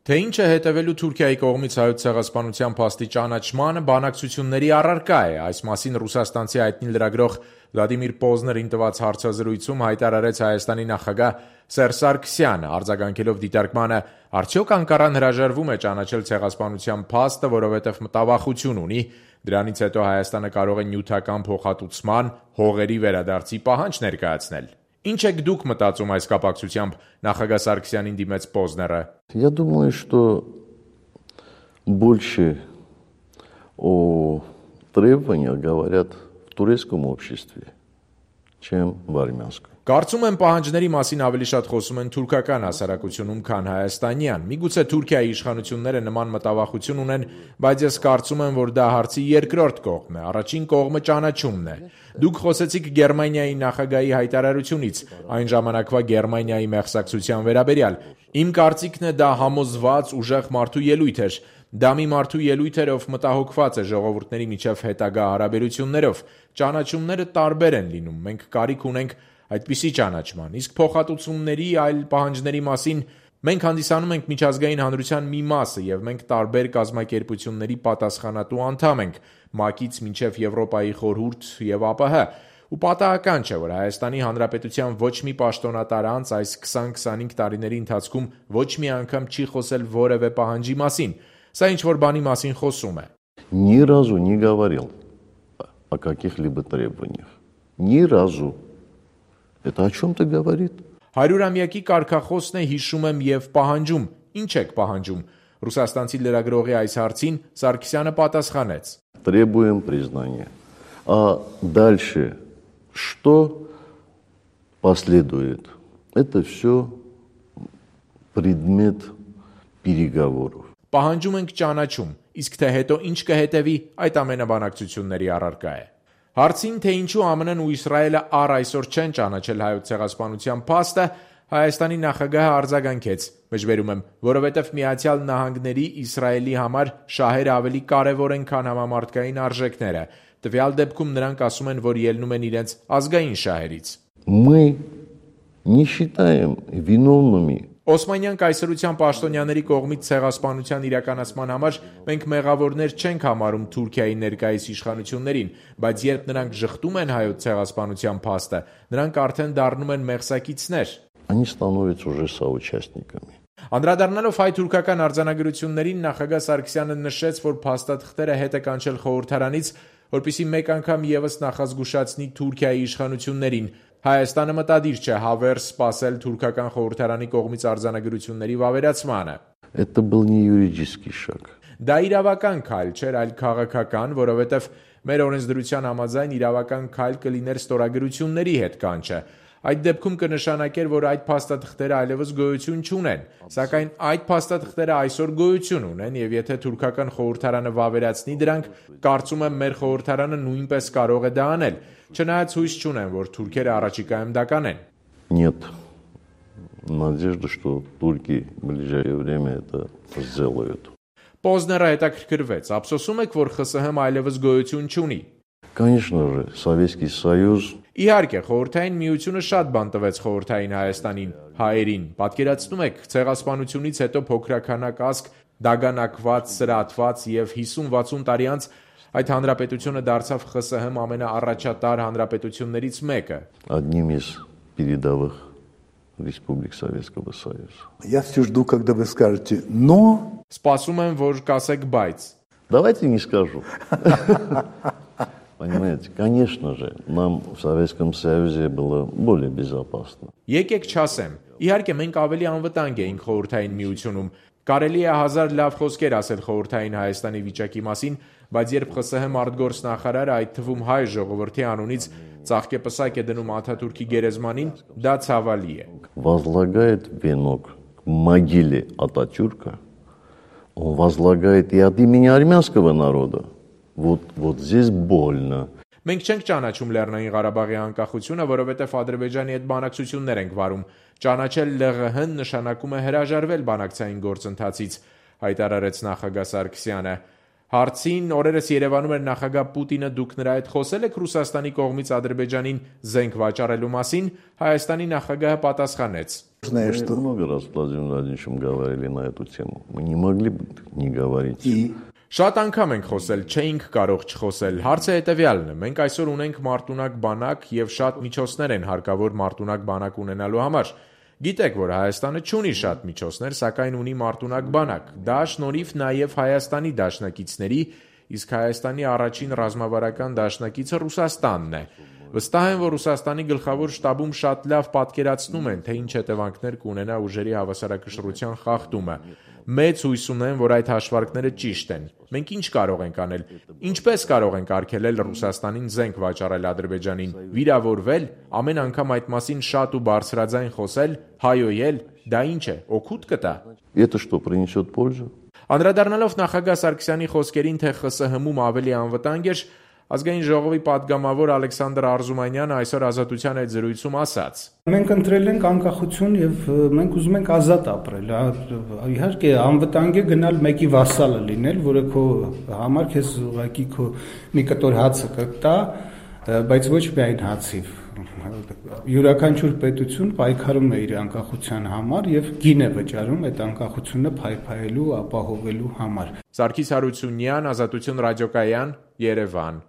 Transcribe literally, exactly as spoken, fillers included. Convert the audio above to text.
Թե ինչ է հետևելու Թուրքիայի կողմից Հայոց ցեղասպանության փաստի ճանաչմանը, բանակցությունների առարկա է։ Այս մասին ռուսաստանցի հայտնի լրագրող Վլադիմիր Պոզներին տված հարցազրույցում հայտարարեց Հայաստանի նախագահ Սերժ Սարգսյանը, արձագանքելով դիտարկմանը, արդյոք Անկարան հրաժարվում է ճանաչել ցեղասպանության փաստը, որովհետև մտավախություն ունի, դրանից հետո Հայաստանը կարող է նյութական փոխհատուցման, հողերի վերադարձի պահանջ ներկայացնել։ Ինչ եք դուք մտածում այս կապակցությամբ, նախագահ Սարգսյանին դիմեց Պոզները։ Я думаю, что больше о требованиях говорят в турецком обществе, чем в армянском. Կարծում եմ պահանջների մասին ավելի շատ խոսում են թուրքական հասարակությունում, քան հայաստանյան։ Միգուցե Թուրքիայի իշխանությունները նման մտավախություն ունեն, բայց ես կարծում եմ, որ դա հարցի երկրորդ կողմն է, առաջին կողմը ճանաչումն է։ Դուք խոսեցիք Գերմանիայի նախագահի հայտարարությունից, այն ժամանակվա Գերմանիայի մեղսակցության վերաբերյալ։ Իմ կարծիքն է, դա համոզված, ուժեղ մարդու ելույթ էր։ Դա մի մարդու ելույթ էր, ով մտահոգված է ժողովուրդների միջև հետագա հարաբերություններով։ Ճանաչումները տարբեր են լինում, մենք կարիք ունենք այդպիսի ճանաչման, իսկ փոխհատուցումների այլ պահանջների մասին մենք հանդիսանում ենք միջազգային հանրության մի մասը եւ մենք տարբեր կազմակերպությունների պատասխանատու անդամ ենք, ՄԱԿ-ից մինչեւ Եվրոպայի խորհուրդ եւ ԱՊՀ, ու պատահական չէ, որ Հայաստանի Հանրապետության ոչ մի պաշտոնատար անձ այս քսան-քսանհինգ տարիների ընթացքում ոչ մի անգամ չի խոսել որևէ պահանջի մասին, սա ինչ-որ բանի մասին խոսում է։ Ни разу не говорил о каких-либо требованиях. Ни разу. Это о чем-то говорит. Հարյուրամյակի կարգախոսն է, հիշում եմ եւ պահանջում։ Ինչ եք պահանջում։ Ռուսաստանցի լրագրողի այս հարցին Սարգսյանը պատասխանեց. Требуем признания. А дальше что последует? Это все предмет переговоров. Պահանջում ենք ճանաչում, իսկ թե հետո ինչ կհետևի, այդ ամենը բանակցությունների առարկա է։ Հարցին, թե ինչու ԱՄՆ-ն ու Իսրայելը առ այսօր չեն ճանաչել Հայոց ցեղասպանության փաստը, Հայաստանի նախագահը արձագանքեց, մեջբերում եմ, որովհետև Միացյալ Նահանգների Իսրայելի համար շահերը ավելի կարևոր են, քան համամարտկային արժեքները։ Տվյալ դեպքում նրանք ասում են, որ ելնում են իրենց ազգային շահերից։ Мы не считаем виновными. Օսմանյան կայսրության պաշտոնյաների կողմից ցեղասպանության իրականացման համար մենք մեղավորներ չենք համարում Թուրքիայի ներկայիս իշխանություններին, բայց երբ նրանք ժխտում են Հայոց ցեղասպանության փաստը, նրանք արդեն դառնում են մեղսակիցներ։ Они становятся уже соучастниками. Անդրադառնալով հայ-թուրքական արձանագրություններին, նախագահ Սարգսյանը նշեց, որ փաստաթղթերը հետ է կանչել խորհրդարանից, որպեսզի մեկ անգամ եւս նախազգուշացնի Թուրքիայի իշխանություններին։ Հայաստանը մտադիր չէ հավերս սպասել թուրքական խորհրդարանի կողմից արձանագրությունների վավերացմանը։ Это был не юридический шаг. Դա իրավական քայլ չէր, այլ քաղաքական, որովհետև մեր օրենսդրության համաձայն իրավական քայլ կլիներ ստորագրությունների հետ կանչը։ Այդ դեպքում կնշանակեր, որ այդ փաստաթղթերը այլևս գոյություն չունեն, սակայն այդ փաստաթղթերը այսօր գոյություն ունեն, եւ եթե թուրքական խորհրդարանը վավերացնի դրանք, կարծում եմ մեր խորհրդարանը նույնպես կարող է դա անել, չնայած հույս չունեմ, որ թուրքերը առաջիկայում դա կանեն։ Нет надежды, что турки в ближайшее время это сделают. Պոզները հետաքրքրվեց, ափսոսում եք, որ ԽՍՀՄ այլևս գոյություն չունի։ Конечно же, Советский Союз. Իհարկե, խորհրդային միությունը շատ բան տվեց խորհրդային Հայաստանին, հայերին։ Պատկերացնում եք, ցեղասպանությունից հետո փոքրականակ ազգ, դագանակված, սրատված եւ հիսուն-վաթսուն տարի անց այդ հանրապետությունը դարձավ ԽՍՀՄ ամենաառաջատար հանրապետություններից մեկը։ Одним из передовых республик Советского Союза. Я все жду, когда вы скажете «но». Սպասում եմ, որ կասեք բայց։ Давайте не скажу. Понимаете, конечно же, нам в Советском Союзе было более безопасно. Եկեք չասեմ։ Իհարկե մենք ավելի անվտանգ էինք խորհրդային միությունում։ Կարելի է հազար լավ խոսքեր ասել խորհրդային Հայաստանի վիճակի մասին, բայց երբ ԽՍՀՄ արտգործնախարարը, այդ թվում հայ ժողովրդի անունից ծաղկեպսակ է դնում Աթաթուրքի գերեզմանին, դա ցավալի է։ Возлагает венок к могиле Ататюрка, он возлагает и от имени армянского народа. Вот, вот здесь больно. Մենք չենք ճանաչում Լեռնային Ղարաբաղի անկախությունը, որովհետև Ադրբեջանի հետ բանակցություններ ենք վարում։ Ճանաչել ԼՂՀ-ն նշանակում է հրաժարվել բանակցային գործընթացից, հայտարարեց նախագահ Սարգսյանը։ Հարցին օրերս Երևանում էր նախագահ Պուտինը, դուք նրա հետ խոսել եք Ռուսաստանի կողմից Ադրբեջանին զենք վաճառելու մասին, Հայաստանի նախագահը պատասխանեց. Знаешь, Мы что? много раз с Владимиром Владимировичем говорили на эту тему. Мы не могли бы не говорить. И Շատ անգամ ենք խոսել, չէինք կարող չխոսել։ Հարցը հետևյալն է. մենք այսօր ունենք մարտունակ բանակ եւ շատ միջոցներ են հարկավոր մարտունակ բանակ ունենալու համար։ Գիտեք, որ Հայաստանը չունի շատ միջոցներ, սակայն ունի մարտունակ բանակ։ Դա շնորհիվ նաև Հայաստանի դաշնակիցների, իսկ Հայաստանի առաջին ռազմավարական դաշնակիցը Ռուսաստանն է։ Վստահ եմ, որ Ռուսաստանի գլխավոր շտաբում շատ լավ պատկերացնում են, թե ինչ հետևանքներ կունենա ուժերի հավասարակշռության խախտումը։ Մեծ հույս ունեմ, որ այդ հաշվարկները ճիշտ են։ Մենք ինչ կարող ենք անել։ Ինչպես կարող ենք արգելել Ռուսաստանին զենք վաճառել Ադրբեջանին, վիրավորվել, ամեն անգամ այդ մասին շատ ու բարձրաձայն խոսել, հայոյել, դա ինչ է, օգուտ կտա։ Это что, принесет пользу? Անդրադառնալով նախագահ Սարգսյանի խոսքերին, թե ԽՍՀՄ-ում ավելի անվտանգ էր, Ազգային ժողովի падգամավոր Ալեքսանդր Արզումանյանը այսօր Ազատության այդ զրույցում ասաց. Մենք ընտրել ենք անկախություն եւ մենք ուզում ենք ազատ ապրել։ Իհարկե անվտանգ է գնալ մեկի վասալը լինել, որը քո համար քեզ ուղղակի քո մի կտոր հացը կտա, բայց ոչ միայն հացի։ Յուրաքանչյուր պետություն պայքարում է իր անկախության համար եւ գին է վճարում այդ անկախությունը փայփայելու, ապահովելու համար։ Սարգիս Հարությունյան, Ազատություն ռադիոկայան, Երևան։